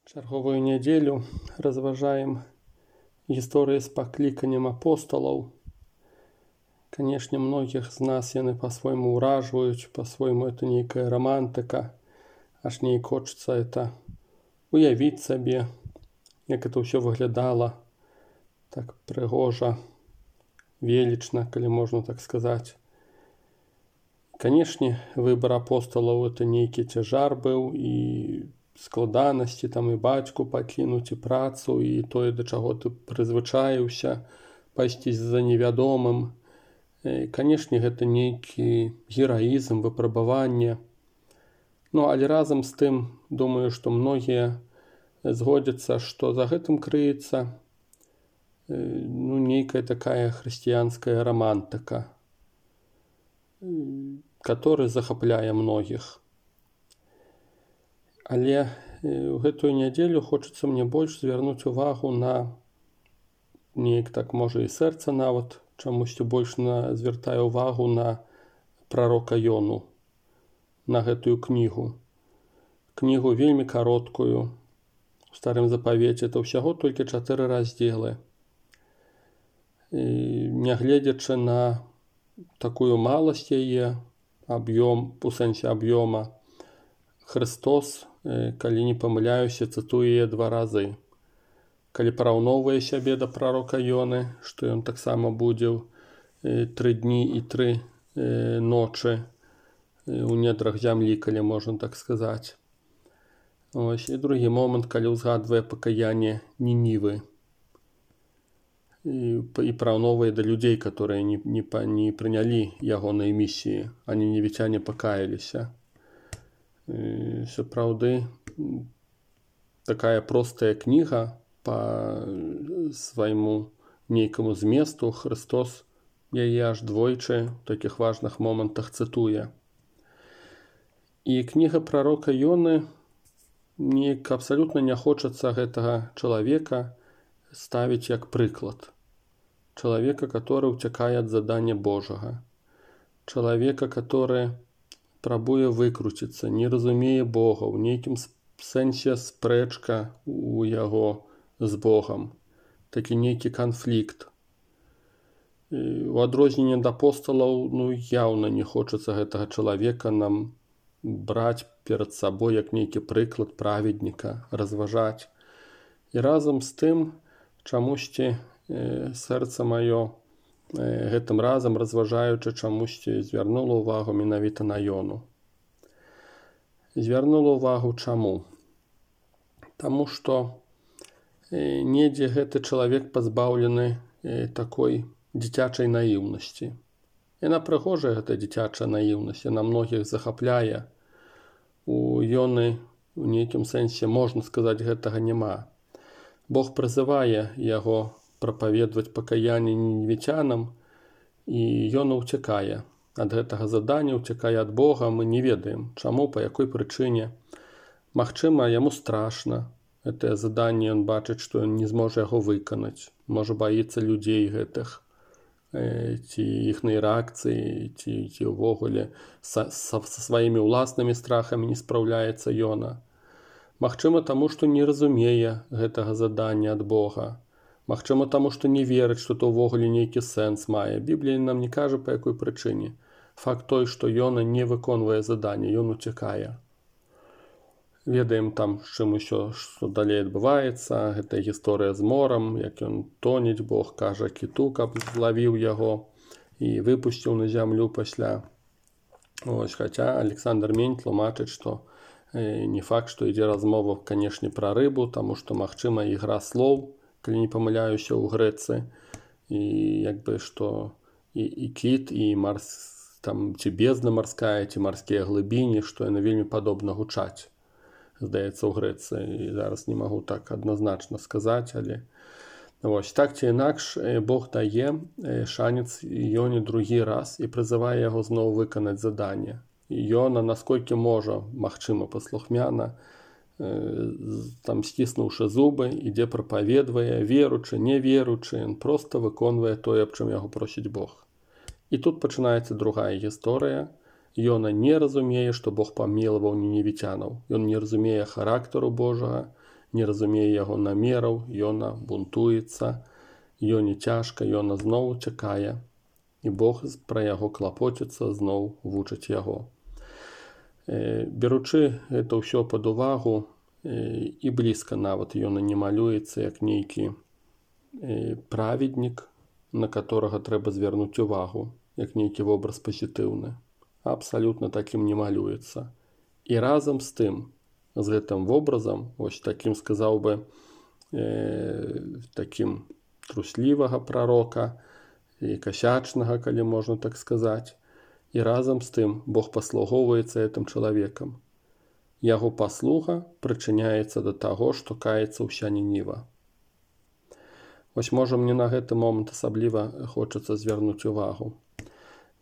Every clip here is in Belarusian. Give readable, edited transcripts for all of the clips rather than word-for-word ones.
Чарговую нядзелю разважаем гісторыі з пакліканнем апосталаў. Канешне, многіх з нас яны па-свойму ўражваюць, па-свойму это нейкая романтыка, аж нейк хочацца это уявіць сабе, як это ўсё выглядала так прыгожа, велічна, калі можна так сказаць. Канешне, выбар апосталаў это нейкі цяжар быў і складанасці, там і бацьку пакінуць, і працу, і тое, да чаго ты прызвычаіўся, пайсці за невядомым. Канешне, гэта нейкі гераізм, выпрабаванне. Але разам з тым, думаю, што многія згодзяцца, што за гэтым крыецца нейкая такая хрысціянская романтыка, которая захапляе многіх. Але ў гэтую нядзелю хочацца мне больш звярнуць увагу на неяк так, можа, і сэрца нават чамусьці больш звяртае ўвагу на прарока Ёну, на гэтую кнігу. Кнігу вельмі кароткую. У Старым Запавеце это ўсяго толькі 4 раздзелы. Нягледзячы на такую маласць яе, аб'ём, у сэнсе аб'ёма, Христос, калі не памыляюся, цытуе яе 2 разы. Калі параўноўвае сябе да прарока Ёны, што ён таксама будзе 3 дні і 3 ночы у недрах зямлі, калі можна так сказаць. І другі момант, калі ўзгадвае пакаянне Нінівы і параўноўвае да людзей, которые не прынялі ягонай місіі, а нінівіцяне пакаяліся. Сапраўды, такая простая кніга па свайму нейкаму зместу, Христос яе аж двойчы ў такіх важных момантах цытуе. І кніга прарока Ёны, неяк абсалютна не хочацца гэтага чалавека ставіць як прыклад. Чалавека, который уцякае ад задання Божага. Чалавека, который прабуе выкруціцца, не разумее Бога, у нейкім сэнсе спрэчка у яго з Богам, такі нейкі канфлікт. У адрозненне ад апосталаў, яўна не хочацца гэтага чалавека нам браць перад сабой як нейкі прыклад праведніка, разважаць. І разам з тым, чамусьці сэрца маё гэтым разам, разважаючы, чамусьці звярнула ўвагу менавіта на Ёну. Звярнула ўвагу чаму? Таму што недзе гэты чалавек пазбаўлены такой дзіцячай наіўнасці. Яна прыгожая, гэта дзіцячая наіўнасць, яна многіх захапляе. У Ёны у нейкім сэнсе, можна сказаць, гэтага няма. Бог прызывае яго прапаведваць пакаянне нінівіцянам, і Ёна ўцякае ад гэтага задання, ўцякае ад Бога. Мы не ведаем, чаму, па якой прычыне. Магчыма, яму страшна гэтае заданне, ён бачыць, што ён не зможа яго выканаць. Можа, баіцца людзей гэтых, ці іхнай рэакцыі, ці ўвогуле са сваімі ўласнымі страхамі не спраўляецца Ёна. Магчыма, таму, што не разумее гэтага задання ад Бога. Магчыма, таму, што не верыць, што то ўвогуле нейкі сэнс мае. Біблія нам не кажа, па якой прычыне. Факт той, што Ёна не выконвае заданне, ён уцякае. Ведаем там, з чым усё, што далей адбываецца. Гэта гісторыя з морам, як ён тонець, Бог кажа кіту, каб злавіў яго і выпусціў на зямлю пасля. Хаця Александр Мень тлумачыць, што не факт, што ідзе размова, канешне, пра рыбу, таму што, магчыма, ігра слоў, калі не памыляюся, ў Грэцыі. І што і кіт, і там ці бездна марская, ці марскія глыбіні, што яны вельмі падобна гучаць, здаецца, ў Грэцыі. І зараз не магу так адназначна сказаць, але так ці інакш, Бог дае шанец Ёне другі раз і прызывае яго зноў выканаць заданне. Ёна, насколькі можа, магчыма, паслухмяна, там сціснуўшы зубы, ідзе прапаведвае, веручы, не веручы, ён проста выконвае тое, аб чым яго просіць Бог. І тут пачынаецца другая гісторыя. Ёна не разумее, што Бог памілаваў нінівіцянаў. Ён не разумее характару Божага, не разумее яго намераў, Ёна бунтуецца, Ёне цяжка, Ёна зноў уцякае, і Бог пра яго клапоціцца, зноў вучыць яго. Беручы гэта ўсё пад увагу, і блізка нават Ёна не малюецца як нейкі праведнік, на которага трэба звярнуць увагу, як нейкі вобраз пазітыўны. Абсалютна такім не малюецца. І разам з тым, з гэтым вобразам, вось такім, сказаў бы, такім труслівага прарока і касячнага, калі можна так сказаць, і разам з тым Бог паслугоўваецца гэтым чалавекам. Яго паслуга прычыняецца да таго, што каецца ўся Нініва. Вось можа мне на гэты момант асабліва хочацца звярнуць увагу.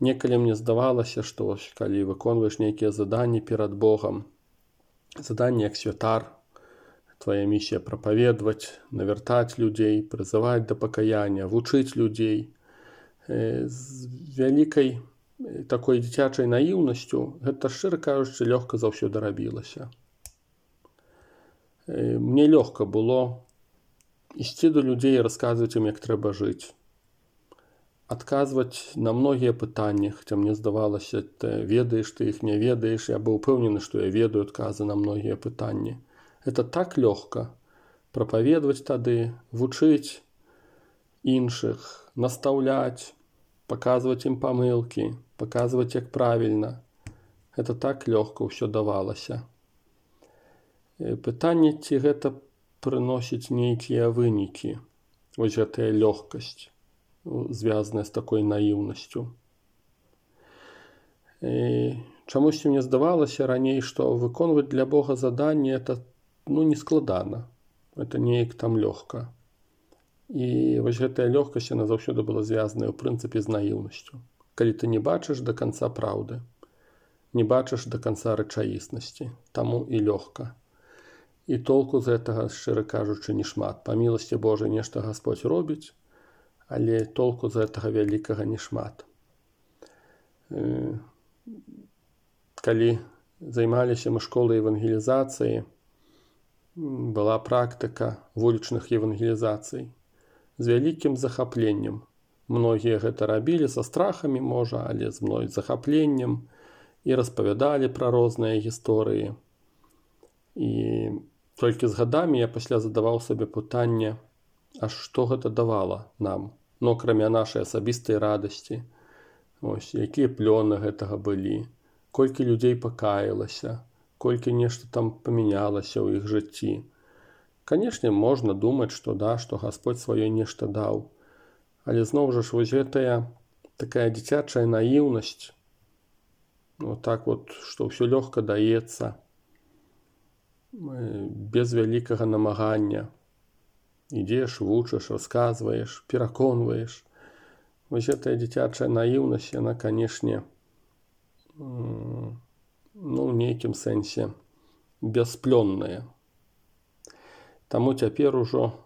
Некалі мне здавалася, што калі выконваеш нейкія заданні перад Богам, заданні як святар, твая місія прапаведваць, навяртаць людзей, прызываць да пакаяння, вучыць людзей. З вялікай такой дзіцячай наіўнасцю гэта, шчыра кажучы, лёгка заўсёды рабілася. Мне лёгка было ісці да людзей і расказваць ім, як трэба жыць. Адказваць на многія пытанні, хаця мне здавалася, ведаеш ты іх, не ведаеш, я быў упэўнены, што я ведаю адказы на многія пытанні. Гэта так лёгка прапаведваць тады, вучыць іншых, настаўляць, паказваць ім памылкі, паказваць, як правільна. Гэта так лёгка ўсё давалася. Пытанне, ці гэта прыносіць нейкія вынікі, вось гэтая лёгкасць, звязаная з такой наіўнасцю. Чамусьці мне здавалася раней, што выконваць для Бога заданні это не складана, это неяк там лёгка. І вось гэтая лёгкасць, яна заўсёды была звязаная ў прынцыпе з наіўнасцю. Калі ты не бачыш да канца праўды, не бачыш да канца рэчаіснасці, таму і лёгка. І толку з гэтага, шчыра кажучы, не шмат. Па міласці Божай нешта Гасподзь робіць, але толку з гэтага вялікага не шмат. Калі займаліся мы школай евангелізацыі, была практыка вулічных евангелізацый з вялікім захапленнем. Многія гэта рабілі са страхамі, можа, але з мной захапленнем і распавядалі пра розныя гісторыі. І толькі з гадамі я пасля задаваў сабе пытанне, а што гэта давала нам? Акрамя нашай асабістай радасці. Ось, якія плёны гэтага былі, колькі людзей пакаялася, колькі нешта там памянялася ў іх жыцці. Канешне, можна думаць, што да, што Гасподзь сваё нешта даў. Але зноў жа ж вось гэтая такая дзіцячая наіўнасць, так вот, што ўсё лёгка даецца, без вялікага намагання. Ідзеш, вучыш, расказваеш, пераконваеш. Вось гэтая дзіцячая наіўнасць, яна, канешне, ў нейкім сэнсе бясплённая. Таму цяпер ужо,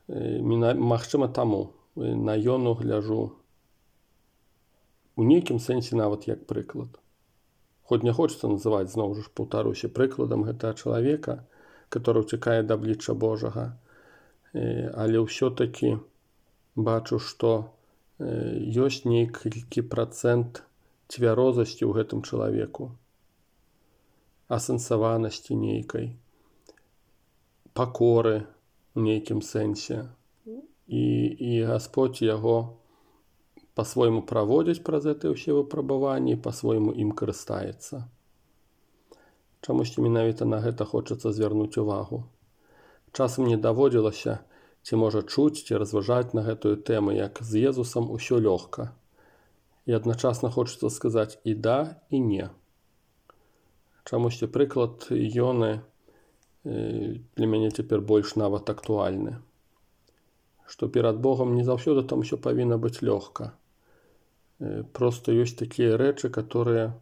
магчыма, таму на Ёну гляжу у нейкім сэнсе нават як прыклад. Хоць не хочацца называць, зноў жа, паўтаруся, прыкладам гэтага чалавека, который уцякае да аблічча Божага, але ўсё-такі бачу, што ёсць нейкі працэнт цвярозасці ў гэтым чалавеку, асэнсаванасці нейкай, пакоры ў нейкім сэнсе. І Гасподзь яго па-свойму праводзіць праз гэтыя ўсе выпрабаванні, па-свойму ім карыстаецца. Чамусьці менавіта на гэта хочацца звярнуць увагу. Часам мне даводзілася, ці можа чуць, ці разважаць на гэтую тэму, як з Езусам усё лёгка. І адначасна хочацца сказаць і да, і не. Чамусьці прыклад Ёны для мяне цяпер больш нават актуальны. Што перад Богом не заўсёды там усё павінна быць лёгка. Проста ёсць такія рэчы, которые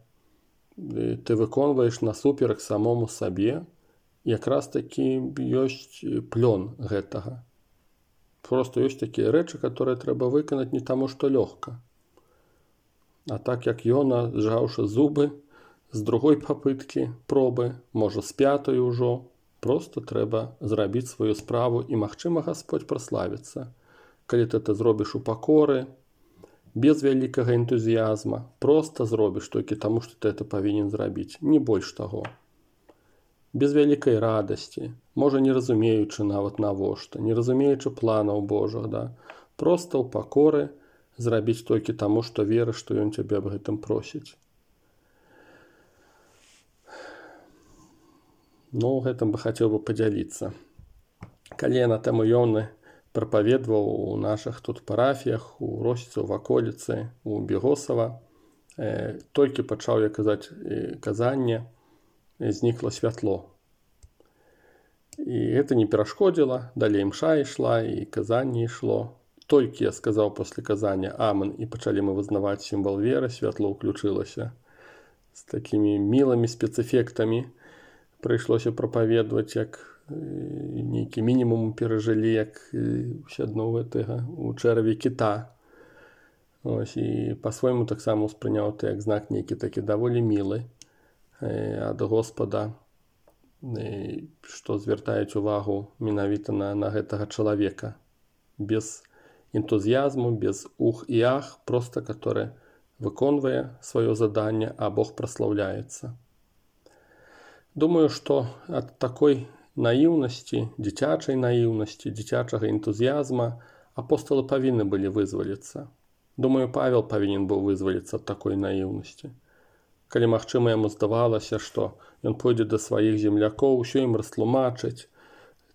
ты выконваеш насуперак самому сабе, якраз такі ёсць плён гэтага. Проста ёсць такія рэчы, которые трэба выканаць не таму, што лёгка. А так, як Ёна, зжаўшы зубы, з другой папыткі, пробы, можа, з пятай ужо, Проста трэба зрабіць сваю справу, і, магчыма, Гасподзь праславіцца. Калі ты это зробіш у пакоры, без вялікага энтузіязма, проста зробіш толькі таму, што ты это павінен зрабіць, не больш таго. Без вялікай радасці, можа не разумеючы нават навошта, не разумеючы планаў Божых, да? Проста ў пакоры зрабіць толькі таму, што верыш, што Ён цябе аб гэтым просіць. Ну, гэтым бы хацеў бы падзяліцца. Калі я на тэму Ёны прапаведваў у нашых тут парафіях, у Росіцы, у ваколіцы, у Бегосава, толькі пачаў я казаць казанне, знікла святло. І гэта не перашкодзіла, далей імша ішла, і казанне ішло. Толькі я сказаў пасля казання «Амен», і пачалі мы вызнаваць сімвал веры, святло ўключылася. З такімі мілымі спецэфектамі прыйшлося прапаведваць, як нейкі мінімум перажылі, як ўсё адно гэтага у чэрве кіта. Ось, і па-свойму таксама ўспрыняў ты як знак нейкі такі даволі мілы ад Господа, што звяртаюць увагу менавіта на гэтага чалавека. Без энтузіязму, без ух і ах, проста который выконвае сваё заданне, а Бог праслаўляецца. Думаю, што ад такой наіўнасці, дзіцячай наіўнасці, дзіцячага энтузіязма апосталы павінны былі вызваліцца. Думаю, Павел павінен быў вызваліцца ад такой наіўнасці. Калі, магчыма, яму здавалася, што ён пойдзе да сваіх землякоў, усё ім растлумачыць,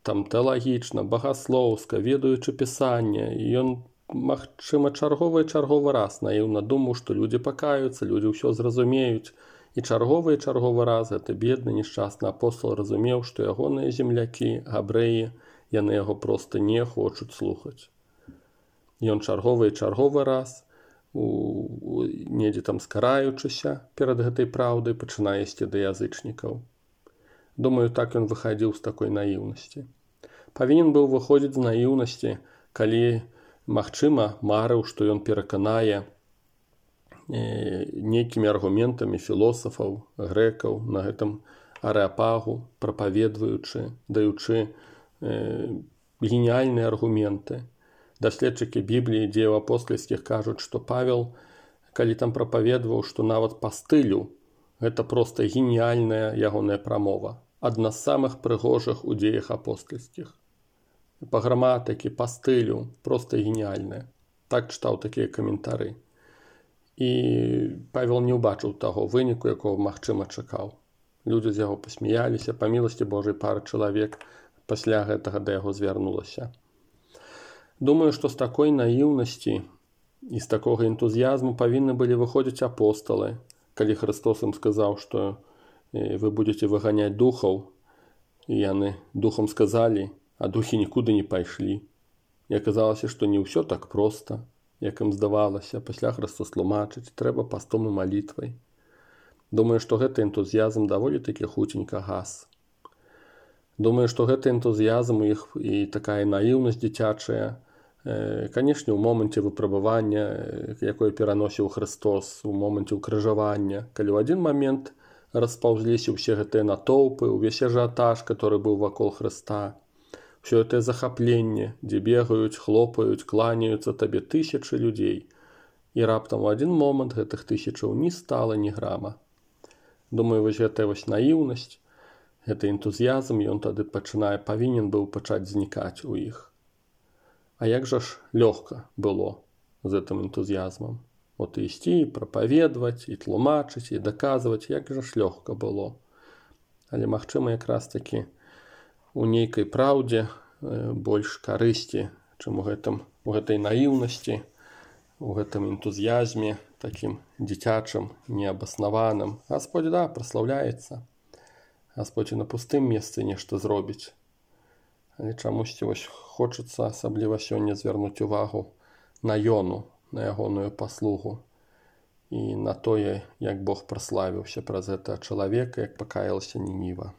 там тэалагічна, багаслоўска, ведаючы пісанне, і ён, магчыма, чарговы раз наіўна думаў, што людзі пакаюцца, людзі ўсё зразумеюць. І чарговы раз гэты бедны нешчасны апостол разумеў, што ягоныя землякі, габрэі, яны яго проста не хочуць слухаць. Ён чарговы раз, недзе там скараючыся перад гэтай праўдай, пачынае ісці да язычнікаў. Думаю, так ён выхадзіў з такой наіўнасці. Павінен быў выходзіць з наіўнасці, калі, магчыма, марыў, што ён пераканае нейкімі аргументамі філосафаў, грэкаў на гэтым арэапагу, прапаведваючы, даючы геніяльныя аргументы. Даследчыкі Бібліі, дзеяў апостальскіх кажуць, што Павел, калі там прапаведваў, што нават па стылю гэта проста геніяльная ягоная прамова, адна з самых прыгожых у дзеях апостальскіх. Па граматыкі, па стылю, проста геніяльная. Так чытаў такія каментары. І Павел не ўбачыў таго выніку, якого, магчыма, чакаў. Людзі з яго пасмяяліся, па міласці Божай пара чалавек пасля гэтага да яго звярнулася. Думаю, што з такой наіўнасці і з такога энтузіязму павінны былі выходзіць апосталы, калі Христос ім сказаў, што вы будзеце выганяць духаў, і яны духам сказалі, а духі нікуды не пайшлі. І аказалася, што не ўсё так проста, як ім здавалася, пасля Христос тлумачыць, трэба пастом і малітвай. Думаю, што гэты энтузіязм даволі такі хуценька гас. Думаю, што гэты энтузіязм у іх і такая наіўнасць дзіцячая, канешне, у моманце выпрабавання, якое пераносіў Христос, у моманце ўкрыжавання, калі ў адзін момент распаўзліся ўсе гэтыя натоўпы, увесь ажыятаж, который быў вакол Хрыста, ўсё гэтае захапленне, дзе бегаюць, хлопаюць, кланяюцца табе тысячы людзей. І раптам у адзін момант гэтых тысячаў ні стала, ні грама. Думаю, вось гэтая вось наіўнасць, гэты энтузіязм, ён тады павінен быў пачаць знікаць у іх. А як жа ж лёгка было з гэтым энтузіязмам? От і ісці, і прапаведваць, і тлумачыць, і даказваць, як жа ж лёгка было. Але, магчыма, якраз такі у нейкай праўдзе больш карысці, чым у гэтай наіўнасці, у гэтым энтузіязме, такім дзіцячым, неабаснаваным. Гасподзь, да, праслаўляецца. Гасподзь і на пустым месцы нешта зробіць. Але чамусьці вось хочацца, асабліва сёння, звярнуць увагу на Ёну, на ягоную паслугу і на тое, як Бог праславіўся праз гэтага чалавека, як пакаялася Нінева.